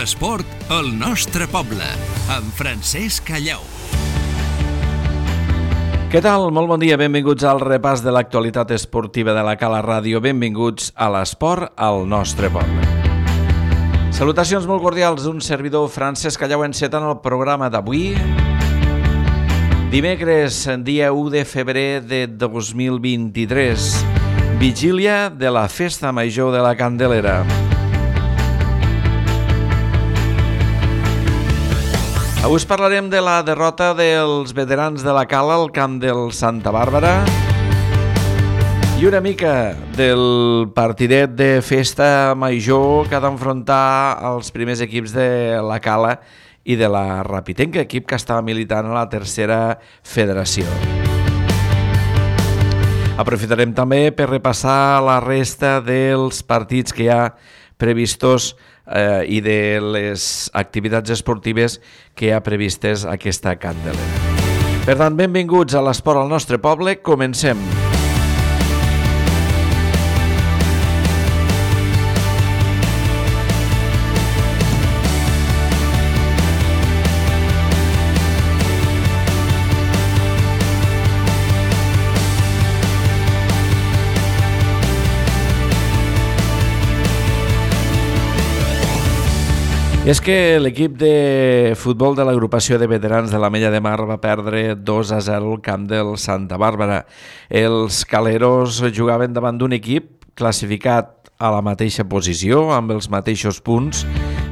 L'esport al nostre poble, amb Francesc Callau. Què tal? Molt bon dia, benvinguts al repàs de l'actualitat esportiva de la Cala Ràdio. Benvinguts a l'esport al nostre poble. Salutacions molt cordials d'un servidor, Francesc Callau, encetant el programa d'avui. Dimecres, dia 1 de febrer de 2023, vigília de la Festa Major de la Candelera. Avui us parlarem de la derrota dels veterans de la Cala al camp del Santa Bàrbara i una mica del partidet de Festa Major que ha d'enfrontar els primers equips de la Cala i de la Rapitenca, equip que estava militant a la tercera federació. Aprofitarem també per repassar la resta dels partits que hi ha previstos i de les activitats esportives que hi ha previstes aquesta Candelera. Per tant, benvinguts a l'esport al nostre poble. Comencem. És que l'equip de futbol de l'agrupació de veterans de l'Ametlla de Mar va perdre 2-0 al camp del Santa Bàrbara. Els caleros jugaven davant d'un equip classificat a la mateixa posició, amb els mateixos punts,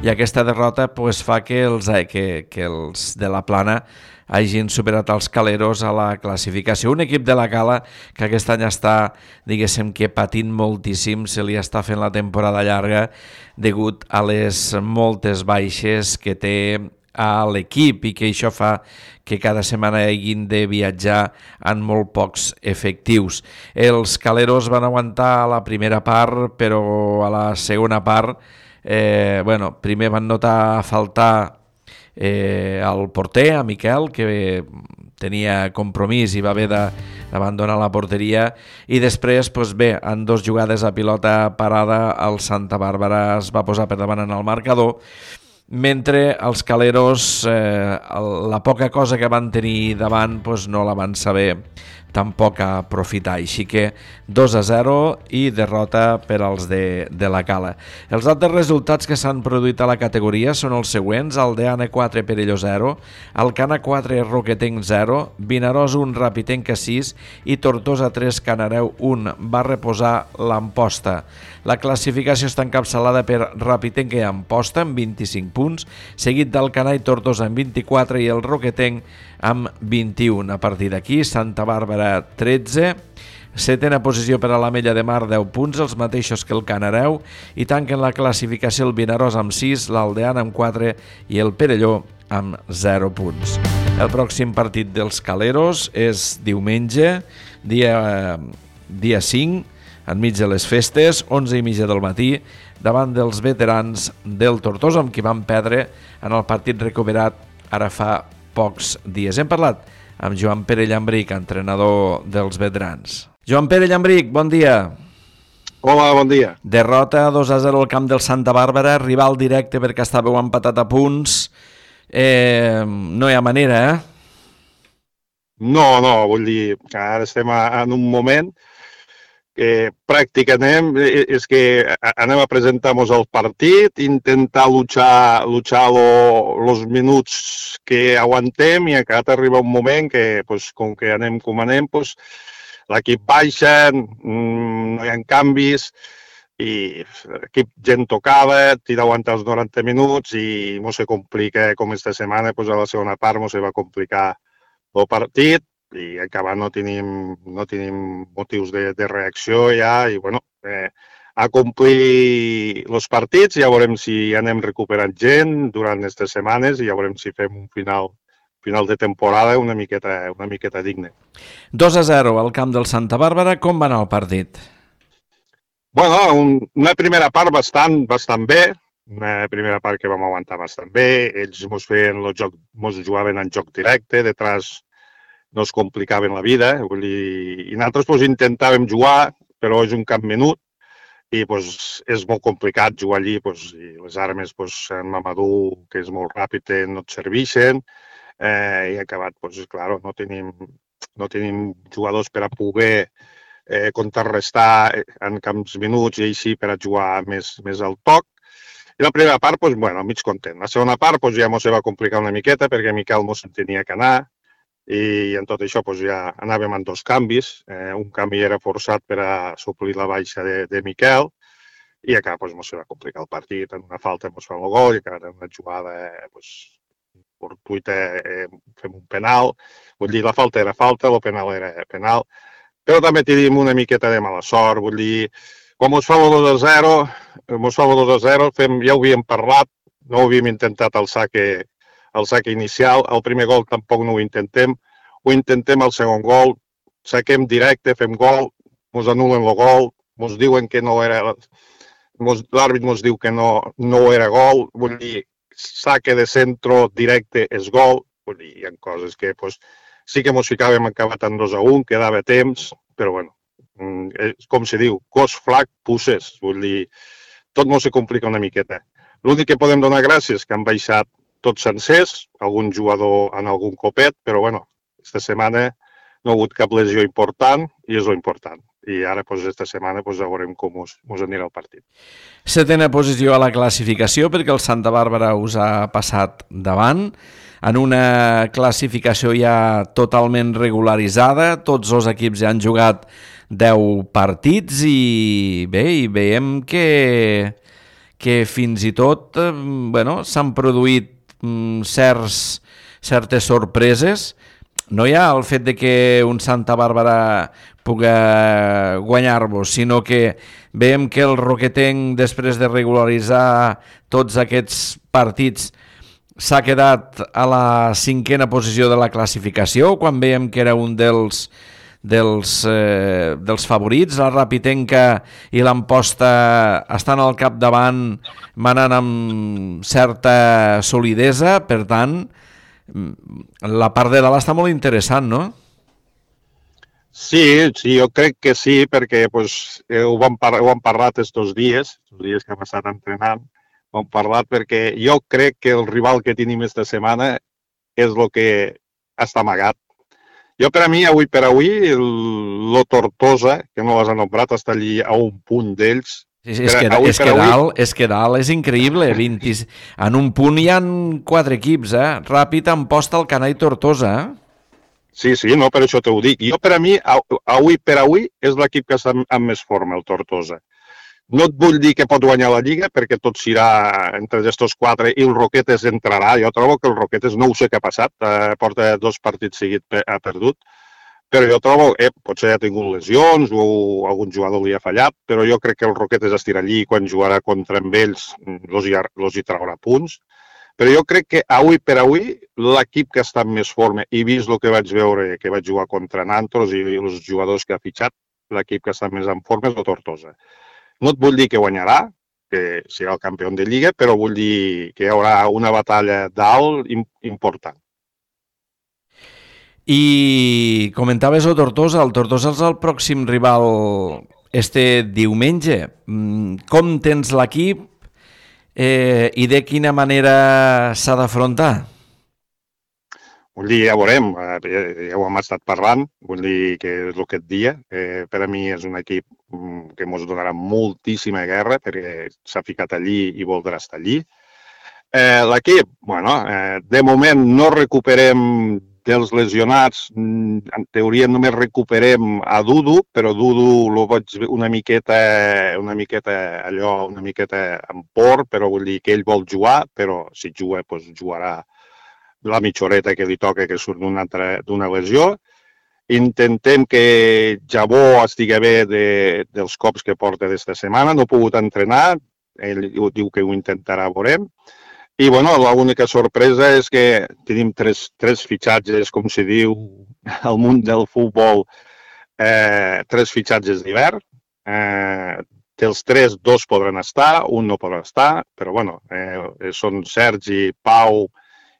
i aquesta derrota fa que els de la Plana hagin superat els caleros a la classificació. Un equip de la Cala que aquest any està, diguéssim, que patint moltíssim, se li està fent la temporada llarga degut a les moltes baixes que té a l'equip i que això fa que cada setmana hagin de viatjar en molt pocs efectius. Els caleros van aguantar a la primera part, però a la segona part, primer van notar faltar el porter, a Miquel, que tenia compromís i va haver d'abandonar la porteria, i després, en dos jugades a pilota parada, el Santa Bàrbara es va posar per davant en el marcador, mentre els caleros la poca cosa que van tenir davant no la van saber tampoc aprofitar, així que 2-0 i derrota per als de la Cala. Els altres resultats que s'han produït a la categoria són els següents: Aldeana 4, Perelló 0, Alcana 4, Roquetenc 0, Vinaròs 1, Rapitenca 6 i Tortosa 3, Canareu 1. Va reposar l'Amposta. La classificació està encapçalada per Rapitenca i Amposta amb 25 punts, seguit d'Alcanar i Tortosa amb 24 i el Roquetenc amb 21. A partir d'aquí, Santa Bàrbara 13, setena posició per a l'Ametlla de Mar 10 punts, els mateixos que el Canareu, i tanquen la classificació el Vinaròs amb 6, l'Aldeana amb 4 i el Perelló amb 0 punts. El pròxim partit dels caleros és diumenge, dia 5, enmig de les festes, 11:30 del matí, davant dels veterans del Tortosa, amb qui van perdre en el partit recuperat ara fa pocs dies. Hem parlat amb Joan Pere Llambric, entrenador dels veterans. Joan Pere Llambric, bon dia. Hola, bon dia. Derrota 2-0 al camp del Santa Bàrbara, rival directe perquè estàveu empatat a punts. No hi ha manera, No, vull dir que ara estem en un moment que pràcticament és que anem a presentar-nos al partit, intentar luchar els minuts que aguantem, i acabat arriba un moment que, com que anem com anem, l'equip baixa, no hi ha canvis, i l'equip gent tocada, tira aguantar els 90 minuts i se complica, com esta setmana, a la segona part se va complicar el partit, i acabar no tenim motius de reacció ja, i a complir els partits, ja veurem si anem recuperant gent durant aquestes setmanes i ja veurem si fem un final de temporada una miqueta digne. 2-0 al camp del Santa Bàrbara. Com va anar el partit? Una primera part bastant bé, una primera part que vam aguantar bastant bé. Ells mos jugaven en joc directe, detrás no es complicaven la vida, i nosaltres intentàvem jugar, però és un camp menut, i pues, és molt complicat jugar allí, pues, i les armes, pues, en Mamadou, que és molt ràpid, no et serveixen, i ha acabat, pues, claro, no tenim jugadors per a poder contrarrestar en camps minuts i així per a jugar més al toc. I la primera part, pues, bueno, mig content. La segona part pues, ja se va complicar una miqueta perquè Miquel mos tenia que anar i en tot això pues, ja anàvem en 2 canvis. Un canvi era forçat per a suplir la baixa de Miquel i acá pues, mos va complicar el partit. En una falta mos fa el gol i acá en una jugada pues, fortuita fem un penal. Vull dir, la falta era falta, el penal era penal. Però també tenim una miqueta de mala sort. Vull dir, quan mos fa el 2-0, ja ho havíem parlat, no ho havíem intentat el saque inicial, el primer gol tampoc no ho intentem al segon gol, saquem directe, fem gol, mos anulen el gol, mos diuen que no era, l'àrbit mos diu que no era gol, vull dir, saque de centro directe és gol, vull dir, hi ha coses que pues, sí que mos ficàvem acabat en 2-1, quedava temps, però bueno, com se diu, cos flac, pusses, vull dir, tot mos se complica una miqueta. L'únic que podem donar gràcies és que han baixat tots sencers, algun jugador en algun copet, però bueno, aquesta setmana no ha hagut cap lesió important i és lo important. I ara, pues, esta setmana, pues, ja veurem com us anirà el partit. 7a posició a la classificació perquè el Santa Bàrbara us ha passat davant en una classificació ja totalment regularitzada, tots els equips ja han jugat 10 partits i bé, i veiem que fins i tot s'han produït certes sorpreses. No hi ha el fet de que un Santa Bàrbara pugui guanyar-vos, sinó que veiem que el Roquetenc, després de regularitzar tots aquests partits, s'ha quedat a la 5a posició de la classificació, quan veiem que era un dels favorits. La Rapitenca i l'Amposta estan al capdavant, manant amb certa solidesa, per tant, la part de dalt està molt interessant, no? Sí, jo crec que sí, perquè pues, ho hem parlat estos dies que hem estat entrenant, ho hem parlat perquè jo crec que el rival que tenim esta setmana és el que està amagat. Jo, per a mi, avui per avui, el Tortosa, que no l'has anomenat, està allí a un punt d'ells. Sí, és que dalt és increïble. En un punt hi ha 4 equips, Ràpid, Amposta, Alcanar i Tortosa. Sí, no, per això t'ho dic. Jo, per a mi, avui per avui, és l'equip que està amb més forma, el Tortosa. No et vull dir que pot guanyar la Lliga, perquè tot serà entre aquests 4 i el Roquetes entrarà. Jo trobo que el Roquetes no ho sé què ha passat, porta 2 partits seguits ha perdut, però jo trobo, potser ha tingut lesions o algun jugador li ha fallat, però jo crec que el Roquetes estirà allí i quan jugarà contra ells els hi traurà punts. Però jo crec que avui per avui l'equip que està en més forma, i vist el que vaig veure, que vaig jugar contra Nantos i els jugadors que ha fitxat, l'equip que està més en forma és el Tortosa. No et vull dir que guanyarà, que serà el campió de Lliga, però vull dir que hi haurà una batalla dalt important. I comentaves el Tortosa és el pròxim rival este diumenge. Com tens l'equip i de quina manera s'ha d'afrontar? Vull dir, ja veurem, ja ho hem estat parlant, vull dir que és el que et dia. Per a mi és un equip que ens donarà moltíssima guerra perquè s'ha ficat allí i voldrà estar allí. L'equip, de moment no recuperem dels lesionats, en teoria només recuperem a Dudu, però Dudu lo vaig una miqueta en por, però vull dir que ell vol jugar, però si juga, doncs jugarà la mitja horeta que li toca que surt d'una lesió. Intentem que Jabó estigui bé dels cops que porta d'esta setmana. No ha pogut entrenar, ell diu que ho intentarà, veurem. I l'única sorpresa és que tenim tres fitxatges, com se diu al món del futbol, 3 fitxatges d'hivern. Dels 3, 2 podran estar, un no podrà estar, però són Sergi, Pau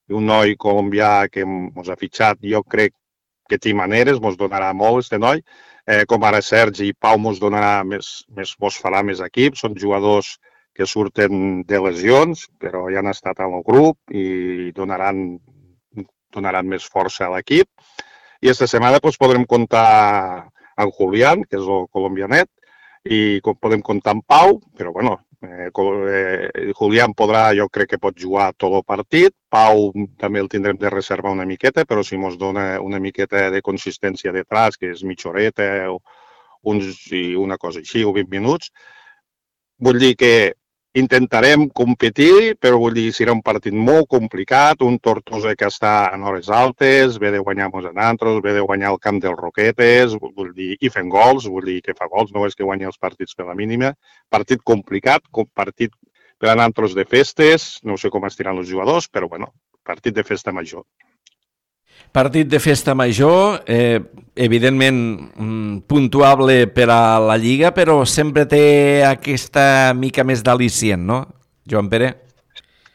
i un noi colombià que ens ha fitxat. Jo crec que té maneres, mos donarà molt este noi. Com ara Sergi i Pau mos donarà mos farà més equip. Són jugadors que surten de lesions, però ja han estat en el grup i donaran més força a l'equip. I aquesta setmana podrem comptar amb Julián, que és el colombianet, i podem comptar amb Pau, però bueno, Julián jo crec que pot jugar tot el partit. Pau també el tindrem de reservar una miqueta, però si ens dona una miqueta de consistència detrás, que és mitja horeta o una cosa així, o 20 minuts, vull dir que intentarem competir, però vull dir, serà un partit molt complicat, un Tortosa que està en hores altes, ve de guanyar-nos a nosaltres, ve de guanyar el camp dels Roquetes, vull dir, i fent gols, vull dir que fa gols, no és que guanyi els partits per la mínima. Partit complicat, partit per a nosaltres de festes, no sé com estiran els jugadors, però bueno, partit de festa major. Partit de festa major, evidentment puntuable per a la Lliga, però sempre té aquesta mica més d'al·licient, no, Joan Pere?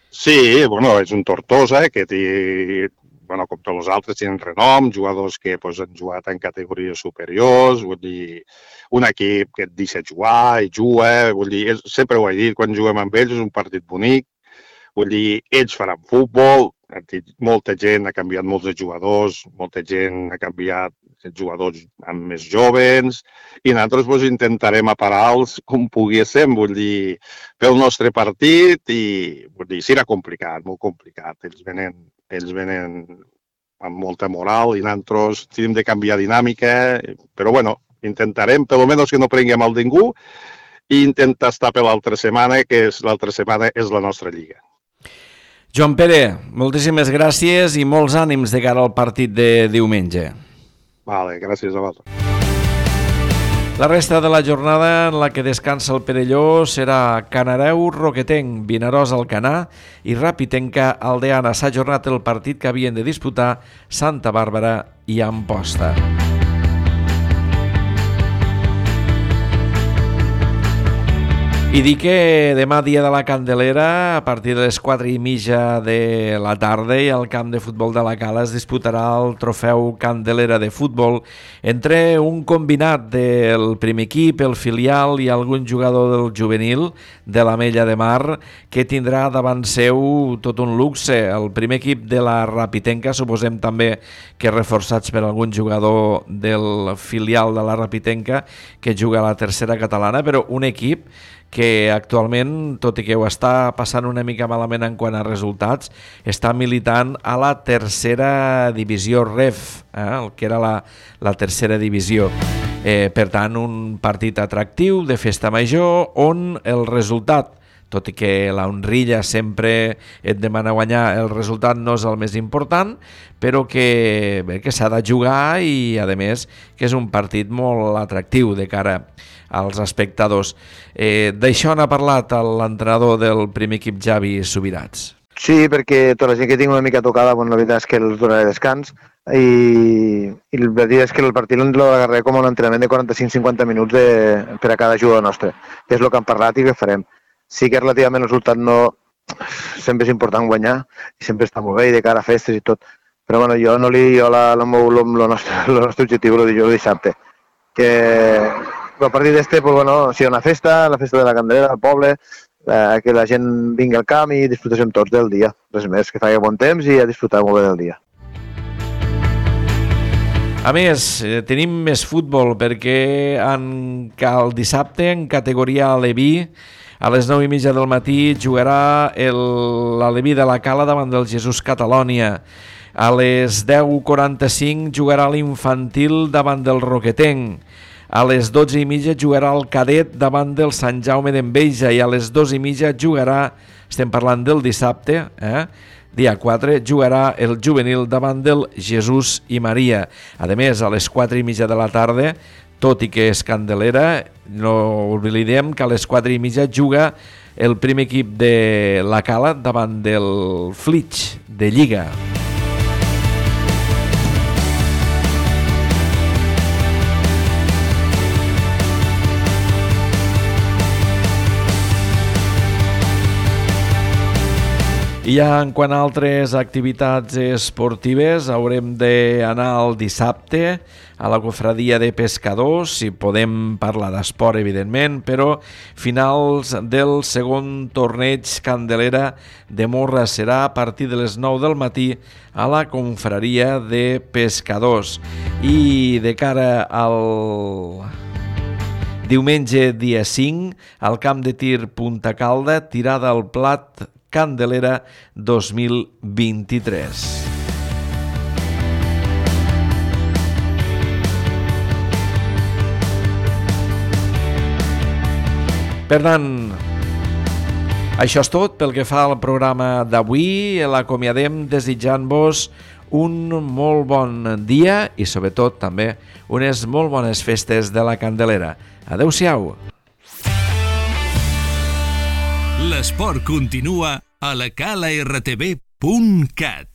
Sí, bueno, és un Tortosa que té, bueno, com tots els altres, tenen renom, jugadors que han jugat en categories superiors, vull dir, un equip que et deixa jugar i juga, vull dir, sempre ho he dit, quan juguem amb ells és un partit bonic, vull dir, ells faran futbol, molta gent ha canviat molts de jugadors, molta gent ha canviat jugadors amb més joves i nosaltres intentarem aparar-los com poguéssim, vull dir, pel nostre partit i vull dir, serà complicat, molt complicat. Ells venen amb molta moral i nosaltres tenim de canviar dinàmica, però bueno, intentarem, per almenys que no prenguem el ningú i intentar estar per l'altra setmana, que l'altra setmana és la nostra lliga. Joan Pere, moltíssimes gràcies i molts ànims de cara al partit de diumenge. Vale, gràcies a vosaltres. La resta de la jornada en la que descansa el Perelló serà Canareu, Roquetenc, Vinaròs, Alcanar i Ràpitenca, Aldeana. S'ha ajornat el partit que havien de disputar Santa Bàrbara i Amposta. I dic que demà, dia de la Candelera, a partir de les 4:30 de la tarda, i al camp de futbol de la Cala es disputarà el trofeu Candelera de futbol entre un combinat del primer equip, el filial i algun jugador del juvenil de l'Ametlla de Mar, que tindrà davant seu tot un luxe. El primer equip de la Ràpitenca, suposem també que reforçats per algun jugador del filial de la Ràpitenca que juga a la tercera catalana, però un equip que actualment, tot i que ho està passant una mica malament en quant a resultats, està militant a la tercera divisió REF, el que era la tercera divisió. Per tant, un partit atractiu de festa major on el resultat, tot i que la honrilla sempre et demana guanyar, el resultat no és el més important, però que s'ha de jugar i, a més, que és un partit molt atractiu de cara als espectadors. D'això n'ha parlat l'entrenador del primer equip, Javi Subirats. Sí, perquè tota la gent que tinc una mica tocada, la veritat és que els donaré descans i la veritat és que el partit l'agarraré com un entrenament de 45-50 minuts per a cada jugador nostre, que és el que hem parlat i que farem. Sí que relativament el resultat no... Sempre és important guanyar i sempre està molt bé i de cara a festes i tot. Però bueno, jo el nostre objectiu el dijous dissabte. Que a partir d'este, sigui una festa, la festa de la Candelera, al poble, que la gent vingui al camp i disfrutéssim tots del dia. Res més, que faci bon temps i a disfrutar molt bé del dia. A més, tenim més futbol perquè el dissabte en categoria Aleví a les 9:30 del matí jugarà l'Aleví de la Cala davant del Jesús Catalònia. A les 10:45 jugarà l'infantil davant del Roquetenc. A les 12:30 jugarà el cadet davant del Sant Jaume d'Enveja i a les 2:30 jugarà, estem parlant del dissabte, dia 4, jugarà el juvenil davant del Jesús i Maria. A més, a les 4:30 de la tarda, tot i que és Candelera, no oblidem que a les 4:30 juga el primer equip de la Cala davant del Flix de Lliga. I ja en quant a altres activitats esportives, haurem d'anar el dissabte a la cofradia de pescadors, si podem parlar d'esport, evidentment, però finals del segon torneig Candelera de Morra serà a partir de les 9 del matí a la confraria de pescadors. I de cara al diumenge dia 5, al camp de tir Punta Calda, tirada al plat Candelera 2023. Per tant, això és tot pel que fa al programa d'avui. L'acomiadem desitjant-vos un molt bon dia i sobretot també unes molt bones festes de la Candelera. Adéu-siau. L'esport continua a la calartv.cat.